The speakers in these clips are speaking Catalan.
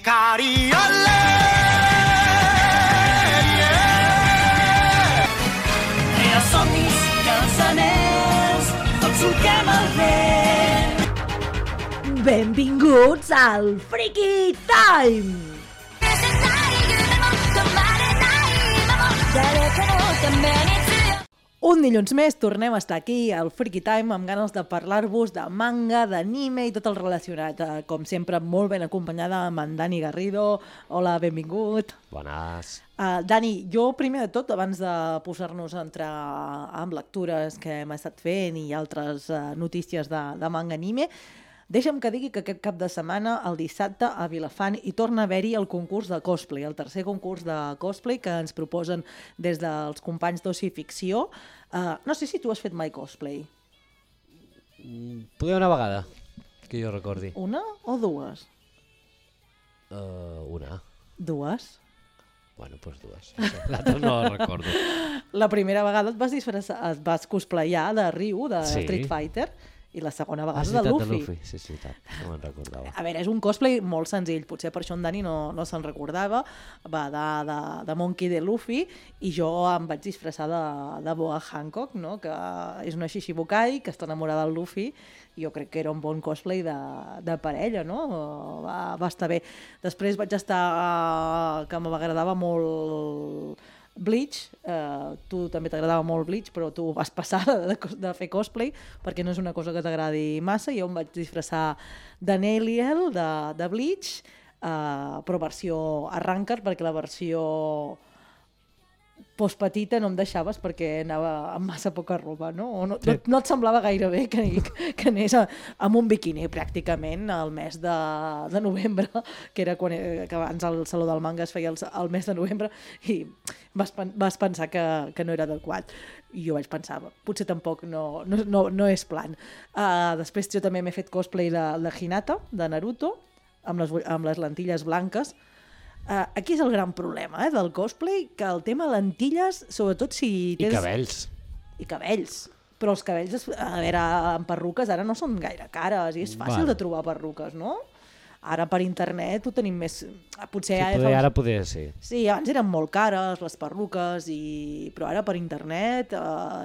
Cariole! Els somnis i els anells, tots solquem el vent. Benvinguts al Freaky Time! Un dilluns més tornem a estar aquí al Freaky Time amb ganes de parlar-vos de manga, d'anime i tot el relacionat. Com sempre, molt ben acompanyada amb en Dani Garrido. Hola, benvingut. Bones. Dani, jo primer de tot, abans de posar-nos a entrar amb lectures que hem estat fent i altres notícies de manga anime, deixa'm que digui que aquest cap de setmana, el dissabte, a Vilafant, hi torna a haver-hi el concurs de cosplay, el tercer concurs de cosplay que ens proposen des dels companys d'Oci Ficció. No sé si tu has fet mai cosplay. Poder una vegada, que jo recordi. Una o dues? Una. Dues? Bueno, doncs dues. L'altra no la recordo. La primera vegada et vas cosplayar de Ryu, de Sí. Street Fighter, i la segona vegada ciutat de Luffy. de Luffy. Sí, ciutat. No me'n recordava. A veure, és un cosplay molt senzill, potser per això en Dani no se'n recordava, va de Monkey de Luffy, i jo em vaig disfressar de Boa Hancock, no? Que és una Shishibukai que està enamorada del Luffy, i jo crec que era un bon cosplay de parella, no? Va estar bé. Després vaig estar, que m'agradava molt Bleach, tu també t'agradava molt Bleach, però tu vas passar de fer cosplay perquè no és una cosa que t'agradi massa. Jo em vaig disfressar de Neliel, de Bleach, però versió Arrancar, perquè la versió postpetita no em deixaves perquè anava amb massa poca roba, no? No et semblava gaire bé que anés amb un biquini pràcticament al mes de novembre, que era que abans el Saló del Manga es feia el mes de novembre, i vas pensar que no era adequat. I jo vaig pensar, potser tampoc no és plan. Després jo també m'he fet cosplay de Hinata, de Naruto, amb les lentilles blanques. Aquí és el gran problema del cosplay, que el tema lentilles, sobretot si tens... I cabells. I cabells. Però els cabells, a veure, amb perruques ara no són gaire cares i és fàcil de trobar perruques, no? Ara per internet ho tenim més... Potser Ara poder, sí. Sí, abans eren molt cares les perruques, però ara per internet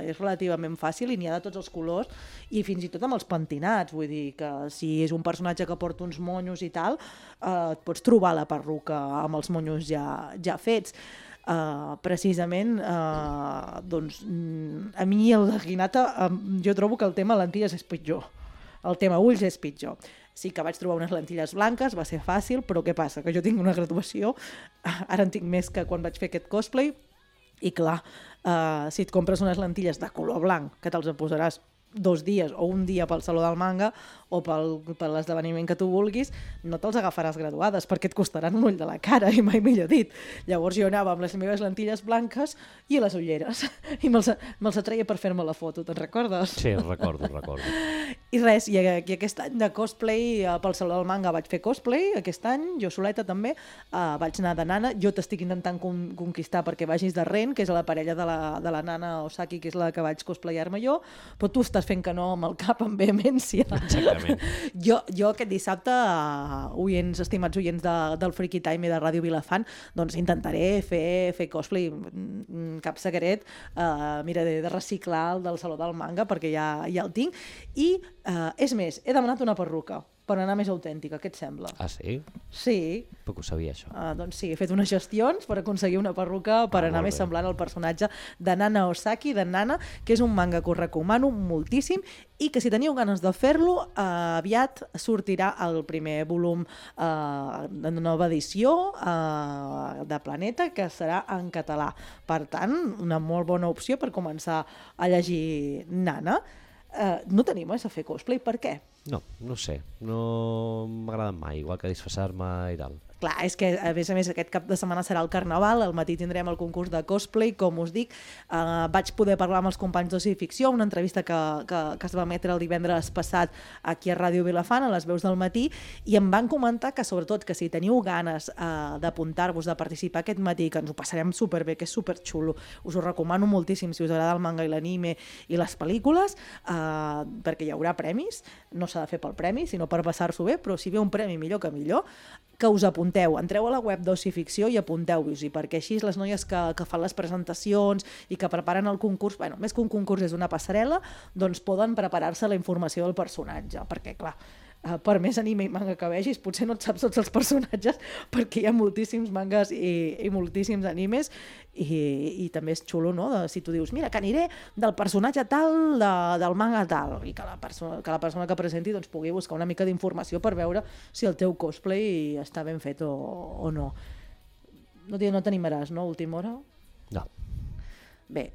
és relativament fàcil i n'hi ha de tots els colors i fins i tot amb els pentinats. Vull dir que si és un personatge que porta uns monyos i tal, et pots trobar la perruca amb els monyos ja fets. Precisament, doncs, a mi el de Hinata, jo trobo que el tema lentilles és pitjor. El tema ulls és pitjor. Sí que vaig trobar unes lentilles blanques, va ser fàcil, però què passa? Que jo tinc una graduació, ara en tinc més que quan vaig fer aquest cosplay, i clar, si et compres unes lentilles de color blanc, que te'ls posaràs 2 dies o un dia pel Saló del Manga o per l'esdeveniment que tu vulguis, no te'ls agafaràs graduades perquè et costaran un ull de la cara, i mai millor dit. Llavors jo anava amb les meves lentilles blanques i les ulleres, i me'ls atreia per fer-me la foto, te'n recordes? Sí, recordo. I res, i aquest any de cosplay, pel Saló del Manga vaig fer cosplay, aquest any, jo soleta també, vaig anar de nana, jo t'estic intentant conquistar perquè vagis de Ren, que és la parella de la nana Osaki, que és la que vaig cosplayar-me jo, però tu estàs fent que no amb el cap amb vehemència. Exactament. Jo aquest dissabte, estimats oients del Freaky Time i de Ràdio Vilafant, doncs intentaré fer cosplay, cap secret, miraré de reciclar el del Saló del Manga perquè ja el tinc, i és més, he demanat una perruca per anar més autèntica, què et sembla? Ah, sí? Sí. Poc ho sabia, això. Doncs sí, he fet unes gestions per aconseguir una perruca per anar més semblant al personatge de Nana Osaki, de Nana, que és un manga que us recomano moltíssim i que si teniu ganes de fer-lo, aviat sortirà el primer volum de nova edició de Planeta, que serà en català. Per tant, una molt bona opció per començar a llegir Nana. No tenim a fer cosplay, per què? No sé, no m'agrada mai, igual que disfressar-me i tal. Clar, és que a més aquest cap de setmana serà el Carnaval, al matí tindrem el concurs de cosplay, com us dic. Vaig poder parlar amb els companys d'Oci Ficció, una entrevista que es va emetre el divendres passat aquí a Ràdio Vilafant, a les veus del matí, i em van comentar que sobretot que si teniu ganes d'apuntar-vos, de participar aquest matí, que ens ho passarem superbé, que és superxulo, us ho recomano moltíssim si us agrada el manga i l'anime i les pel·lícules, perquè hi haurà premis, no s'ha de fer pel premi, sinó per passar-s'ho bé, però si ve un premi millor que millor, que us apunteu. Entreu a la web d'Oci Ficció i apunteu-vos-hi, perquè així les noies que fan les presentacions i que preparen el concurs, bueno, més que un concurs és una passarel·la, doncs poden preparar-se la informació del personatge, perquè clar, per més anime i manga que vegis, potser no et saps tots els personatges perquè hi ha moltíssims mangas i moltíssims animes i també és xulo, no? Si tu dius, mira, que aniré del personatge tal del manga tal i que la persona que presenti doncs, pugui buscar una mica d'informació per veure si el teu cosplay està ben fet o no. No t'animaràs, no, a última hora? No. Bé,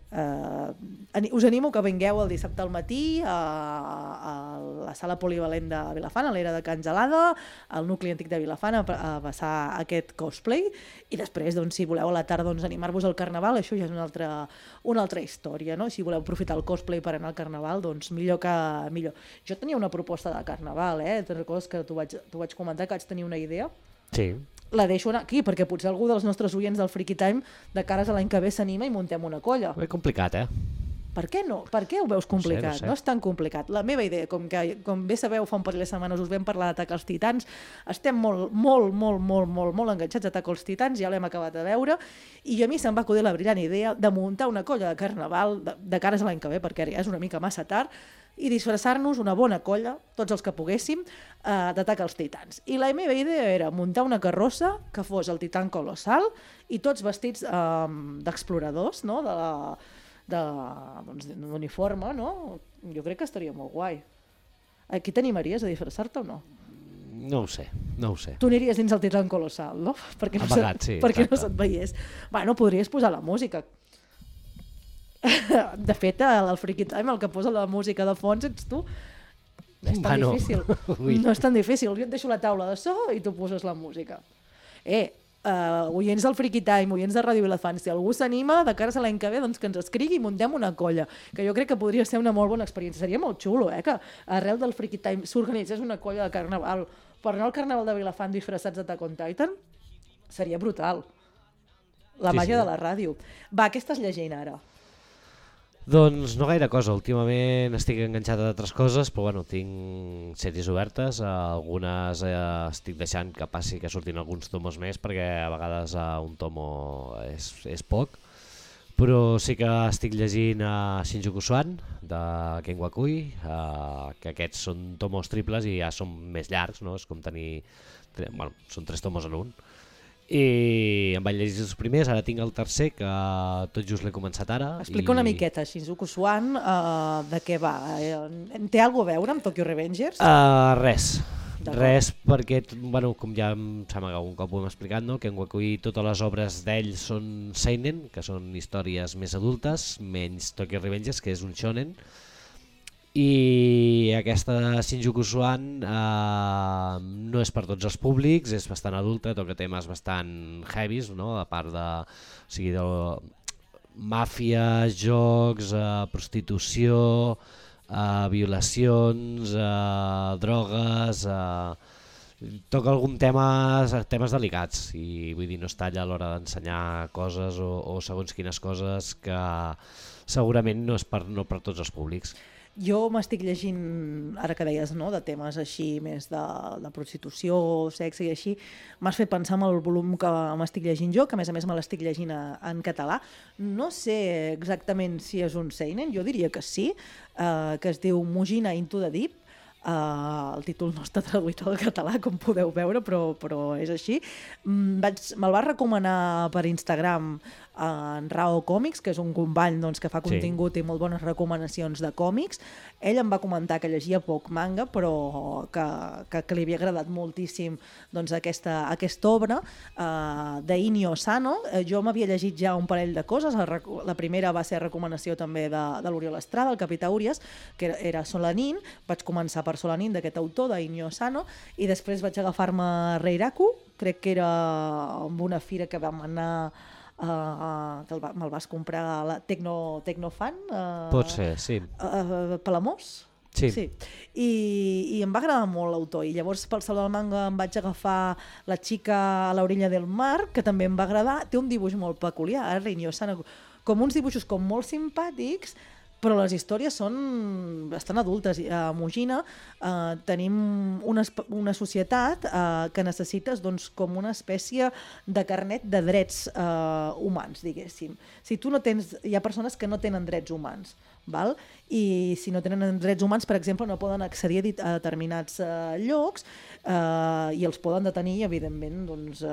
us animo que vingueu el dissabte al matí a la sala polivalent de Vilafant, a l'era de Can Gelada, al nucli antic de Vilafant, a passar aquest cosplay, i després, doncs, si voleu a la tarda animar-vos al Carnaval, això ja és una altra història, no? Si voleu aprofitar el cosplay per anar al Carnaval, doncs millor que millor. Jo tenia una proposta de Carnaval, te'n recordes que t'ho vaig comentar, que vaig tenir una idea? Sí. La deixo anar aquí, perquè potser algú dels nostres oients del Freaky Time de cares a l'any que ve s'anima i muntem una colla. És complicat, Per què no? Per què ho veus complicat? No sé. No és tan complicat. La meva idea, com bé sabeu, fa un parell de setmanes us vam parlar d'Atac als Titans, estem molt enganxats a Atac als Titans, ja l'hem acabat de veure, i a mi se'm va acudir la brillant idea de muntar una colla de Carnaval de cares a l'any que ve, perquè ja és una mica massa tard, i disfressar-nos una bona colla, tots els que poguéssim, d'Atac als Titans. I la meva idea era muntar una carrossa que fos el Titan Colossal i tots vestits d'exploradors, no? D'uniforme, no? Jo crec que estaria molt guai. Aquí t'animaries a disfressar-te o no? No ho sé. Tu aniries dins el Titan Colossal, no? Perquè no se't veiés. Bueno, podries posar la música. De fet, al Freaky Time el que posa la música de fons ets tu. És tan difícil. No és tan difícil. Jo et deixo la taula de so i tu poses la música. Oients del Freaky Time, oients de Ràdio Vilafant, si algú s'anima de cares a l'any que ve, doncs que ens escrigui i muntem una colla, que jo crec que podria ser una molt bona experiència. Seria molt xulo, que arrel del Freaky Time s'organitzés una colla de Carnaval per anar al Carnaval de Vilafant disfressats d'Attack on Titan. Seria brutal. La màgia de la ràdio. Va, què estàs llegint ara? Doncs no gaire cosa, últimament estic enganxat a altres coses, però bueno, tinc sèries obertes, algunes estic deixant que passi que surtin alguns tomos més, perquè a vegades un tomo és poc, però sí que estic llegint Shinjuku Swan, de Ken Wakui, que aquests són tomos triples i ja són més llargs, no? És com tenir... Bueno, són 3 tomos en un. I em vaig llegir els primers, ara tinc el tercer que tot just l'he començat ara. Explica una miqueta, Shinjuku Swan, de què va? Té alguna a veure amb Tokyo Revengers? Res, perquè, bueno, com ja em sembla que algun cop ho hem explicat, no? Que en Wakui totes les obres d'ell són seinen, que són històries més adultes, menys Tokyo Revengers, que és un shonen. I aquesta Shinjuku Swan no és per tots els públics, és bastant adulta, toca temes bastant heavies, no? A part de màfia, jocs, prostitució, violacions, drogues, toca algun temes delicats i vull dir, no es talla a l'hora d'ensenyar coses o segons quines coses que segurament no és per tots els públics. Jo m'estic llegint, ara que deies, no, de temes així més de prostitució, sexe i així, m'has fet pensar en el volum que m'estic llegint jo, que a més me l'estic llegint en català. No sé exactament si és un seinen, jo diria que sí, que es diu Mujina Into the Deep. El títol no està traduït al català, com podeu veure, però és així. Me'l va recomanar per Instagram en Rao Còmics, que és un company que fa contingut i molt bones recomanacions de còmics. Ell em va comentar que llegia poc manga, però que li havia agradat moltíssim aquesta obra d'Inio Asano. Jo m'havia llegit ja un parell de coses. La primera va ser recomanació també de l'Oriol Estrada, el Capità Urias, que era Solanin. Vaig començar per Solanin, d'aquest autor, d'Inio Asano, i després vaig agafar-me Reiraku, crec que era amb una fira que vam anar, que me'l vas comprar a la Tecnofan. Pot ser, sí. Palamós? Sí. I em va agradar molt l'autor, i llavors pel Saló del Manga em vaig agafar La xica a l'orilla del mar, que també em va agradar. Té un dibuix molt peculiar, Inio Asano, com uns dibuixos com molt simpàtics, però les històries són bastant adultes. A Mugina tenim una societat que necessites doncs, com una espècie de carnet de drets humans, diguéssim. Si tu no tens, hi ha persones que no tenen drets humans, val? I si no tenen drets humans, per exemple, no poden accedir a determinats llocs i els poden detenir i, evidentment, doncs,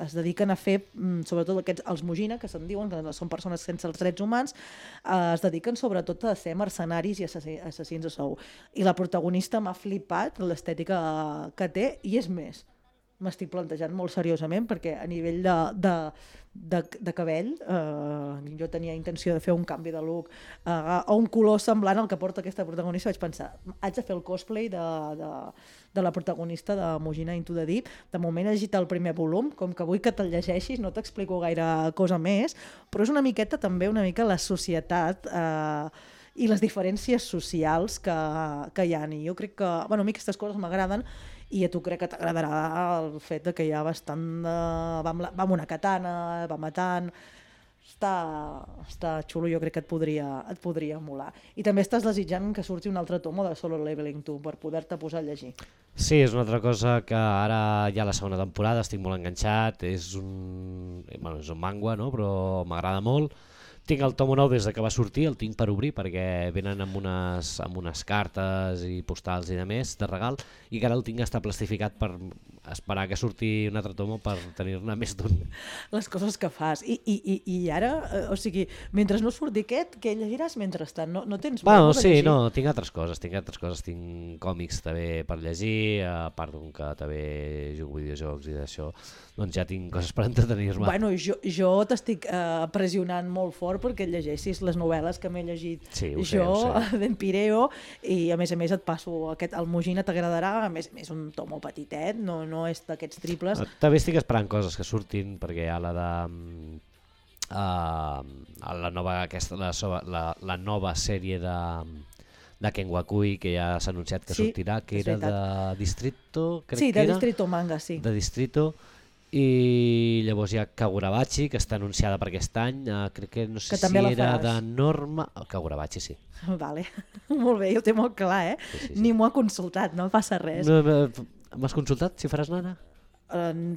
es dediquen a fer, sobretot els Mugina, que se'n diuen, que són persones sense els drets humans, es dediquen sobretot a ser mercenaris i assassins a sou. I la protagonista m'ha flipat l'estètica que té, i és més, m'estic plantejant molt seriosament, perquè a nivell de cabell jo tenia intenció de fer un canvi de look a un color semblant al que porta aquesta protagonista. Vaig pensar, haig de fer el cosplay de la protagonista de Mugina Into the Deep. De moment he llegit el primer volum, com que vull que te'l llegeixis no t'explico gaire cosa més, però és una miqueta també una mica la societat i les diferències socials que hi ha. I jo crec que, bueno, a mi aquestes coses m'agraden, i a tu crec que t'agradarà el fet de que hi ha bastant va amb una katana, va matant. Està xulo, jo crec que et podria molar. I també estàs desitjant que surti un altre tomo de Solo Leveling, tu, per poder-te posar a llegir. Sí, és una altra cosa que ara ja la segona temporada estic molt enganxat, és un manga, no? Però m'agrada molt. Tinc el tomo nou des que va sortir, el tinc per obrir perquè venen amb unes cartes i postals i de més de regal, i que ara el tinc està plastificat per esperar que surti un altre tomo per tenir-ne més d'un. Les coses que fas. I ara, o sigui, mentre no surti aquest, què llegiràs mentrestant? No tens molt de llegir? No, tinc altres coses. Tinc còmics també per llegir, a part d'un que també jugo videojocs i d'això, doncs ja tinc coses per entretenir-me. Bueno, jo t'estic pressionant molt fort perquè llegeixis les novel·les que m'he llegit d'en Pireo, i a més et passo aquest, el Mugina t'agradarà, a més un tomo petitet, no és d'aquests triples. També estic esperant coses que surtin, perquè hi ha la nova sèrie de Ken Wakui, que ja s'ha anunciat que sortirà, que era de Distrito, crec que era. Sí, de Distrito Manga, sí. De Distrito. I llavors hi ha Kagurabachi, que està anunciada per aquest any, crec que no sé si era de Norma... Kagurabachi, sí. Vale, molt bé, jo ho té molt clar, eh? Sí. Ni m'ho ha consultat, no passa res. M'has consultat si faràs nana?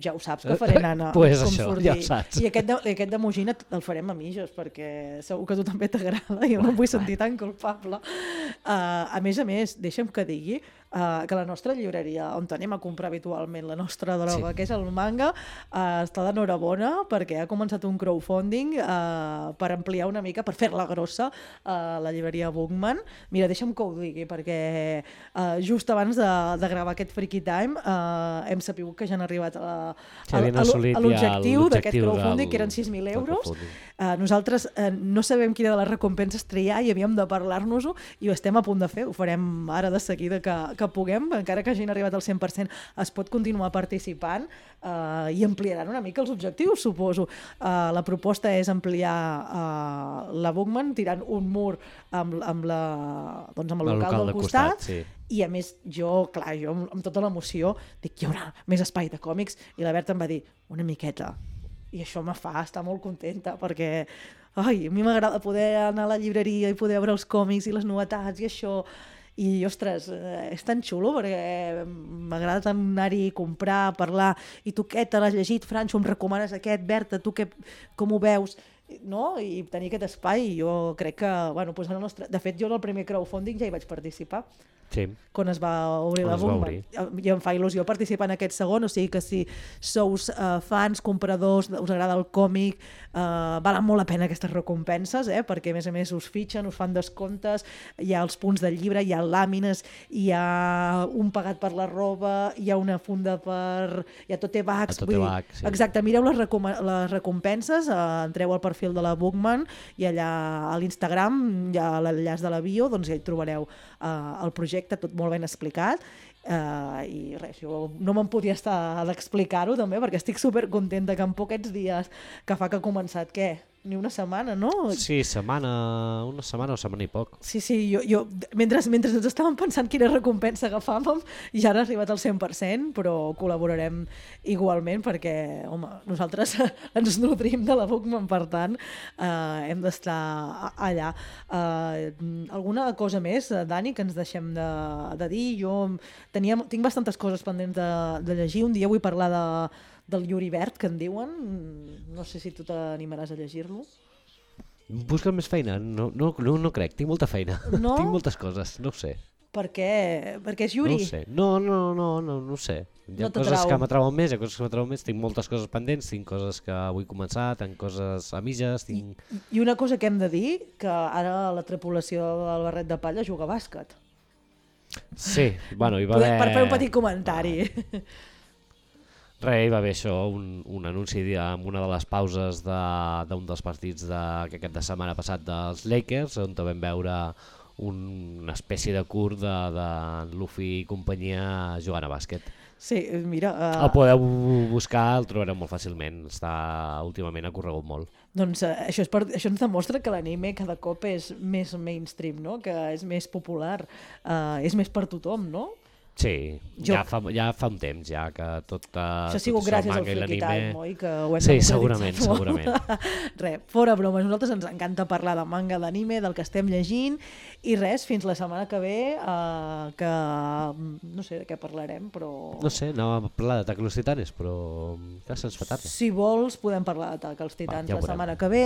Ja ho saps que faré nana. Pues això, ja ho saps. I aquest de Mugina el farem a mitges, perquè segur que a tu també t'agrada, jo no em vull sentir tan culpable. A més, deixa'm que digui que la nostra llibreria, on anem a comprar habitualment la nostra droga, que és el manga, està d'enhorabona perquè ha començat un crowdfunding per ampliar una mica, per fer-la grossa, la llibreria Bookman. Mira, deixa'm que ho digui, perquè just abans de gravar aquest Freaky Time hem sabut que ja han arribat a l'objectiu d'aquest crowdfunding, que eren 6.000 euros. Nosaltres no sabem quina de les recompenses triar i havíem de parlar-nos-ho, i ho estem a punt de fer, ho farem ara de seguida que puguem, encara que hagin arribat al 100%, es pot continuar participant i ampliaran una mica els objectius, suposo. La proposta és ampliar la Bookman tirant un mur amb el local del costat, sí. I a més, jo amb tota l'emoció dic, hi haurà més espai de còmics, i la Berta em va dir, una miqueta, i això me fa estar molt contenta, perquè a mi m'agrada poder anar a la llibreria i poder veure els còmics i les novetats i això. I, ostres, és tan xulo perquè m'agrada tant anar-hi, comprar, parlar. I tu què te l'has llegit, Franxo? Em recomanes aquest? Berta, tu com ho veus? No? I tenir aquest espai, jo crec que... De fet, jo en el primer crowdfunding ja hi vaig participar. Sí. Quan es va obrir la bomba. I em fa il·lusió participar en aquest segon, o sigui que si sous fans, compradors, us agrada el còmic, valen molt la pena aquestes recompenses, perquè a més us fitxen, us fan descomptes, hi ha els punts del llibre, hi ha làmines, hi ha un pagat per la roba, hi ha una funda per... hi ha tote bags. Sí. Exacte, mireu les recompenses, entreu al perfil de la Bookman i allà a l'Instagram hi ha l'enllaç de la bio, doncs ja hi trobareu el projecte tot molt ben explicat, i res, jo no me'n podia estar d'explicar-ho també, perquè estic supercontenta que en poquets dies que fa que ha començat, ni una setmana, no? Sí, una setmana o setmana i poc. Sí, jo mentre ens estàvem pensant quina recompensa agafàvem, ja han arribat al 100%, però col·laborarem igualment perquè, home, nosaltres ens nodrim de la Bookman, per tant, hem d'estar allà. Alguna cosa més, Dani, que ens deixem de dir? Jo tinc bastantes coses pendents de llegir. Un dia vull parlar del Yuri Verd, que en diuen. No sé si tu t'animaràs a llegir-lo. Busca més feina? No crec, tinc molta feina. No? Tinc moltes coses, no ho sé. Per què? Perquè és Yuri? No ho sé. No ho sé. Hi ha coses que m'atrauen més, hi ha coses que m'atrauen més. Tinc moltes coses pendents, tinc coses que vull començar, tinc coses a mitges, tinc... I una cosa que hem de dir, que ara la tripulació del Barret de Palla juga a bàsquet. Sí, bueno, hi va haver... Per fer un petit comentari. Hi va haver això, un anunci en una de les pauses d'un dels partits aquest cap de setmana passat dels Lakers, on vam veure una espècie de curt de Luffy i companyia jugant a bàsquet. Sí, mira... El podeu buscar, el trobareu molt fàcilment, últimament ha corregut molt. Doncs això ens demostra que l'anime cada cop és més mainstream, no? Que és més popular, és més per tothom, no? Sí, ja fa un temps ja que tot això ha sigut gràcies al Freaky Time, oi? Que ho hem sí, segurament. Fora bromes, a nosaltres ens encanta parlar de manga, d'anime, del que estem llegint, i res, fins la setmana que ve, que no sé de què parlarem, però... No sé, anàvem a parlar d'Atac als Titanes, però ja se'ns fa tard. Si vols, podem parlar d'Atac als Titans la setmana que ve,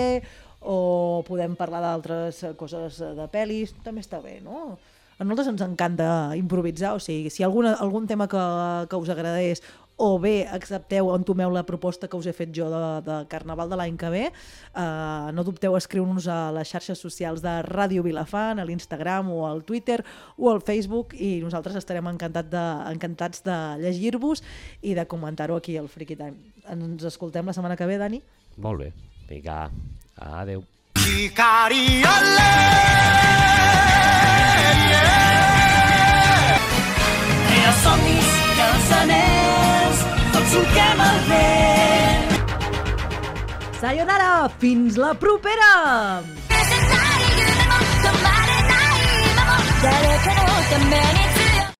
o podem parlar d'altres coses de pel·lis, també està bé, no? A nosaltres ens encanta improvisar, o sigui, si algun tema que us agradés o bé accepteu o entomeu la proposta que us he fet jo de Carnaval de l'any que ve, no dubteu a escriure-nos a les xarxes socials de Ràdio Vilafant, a l'Instagram o al Twitter o al Facebook, i nosaltres estarem encantats de llegir-vos i de comentar-ho aquí al Freaky Time. Ens escoltem la setmana que ve, Dani? Molt bé, vinga, adeu. Somnis i els anells, tots solquem el vent. Sayonara, fins la propera! 誰かのために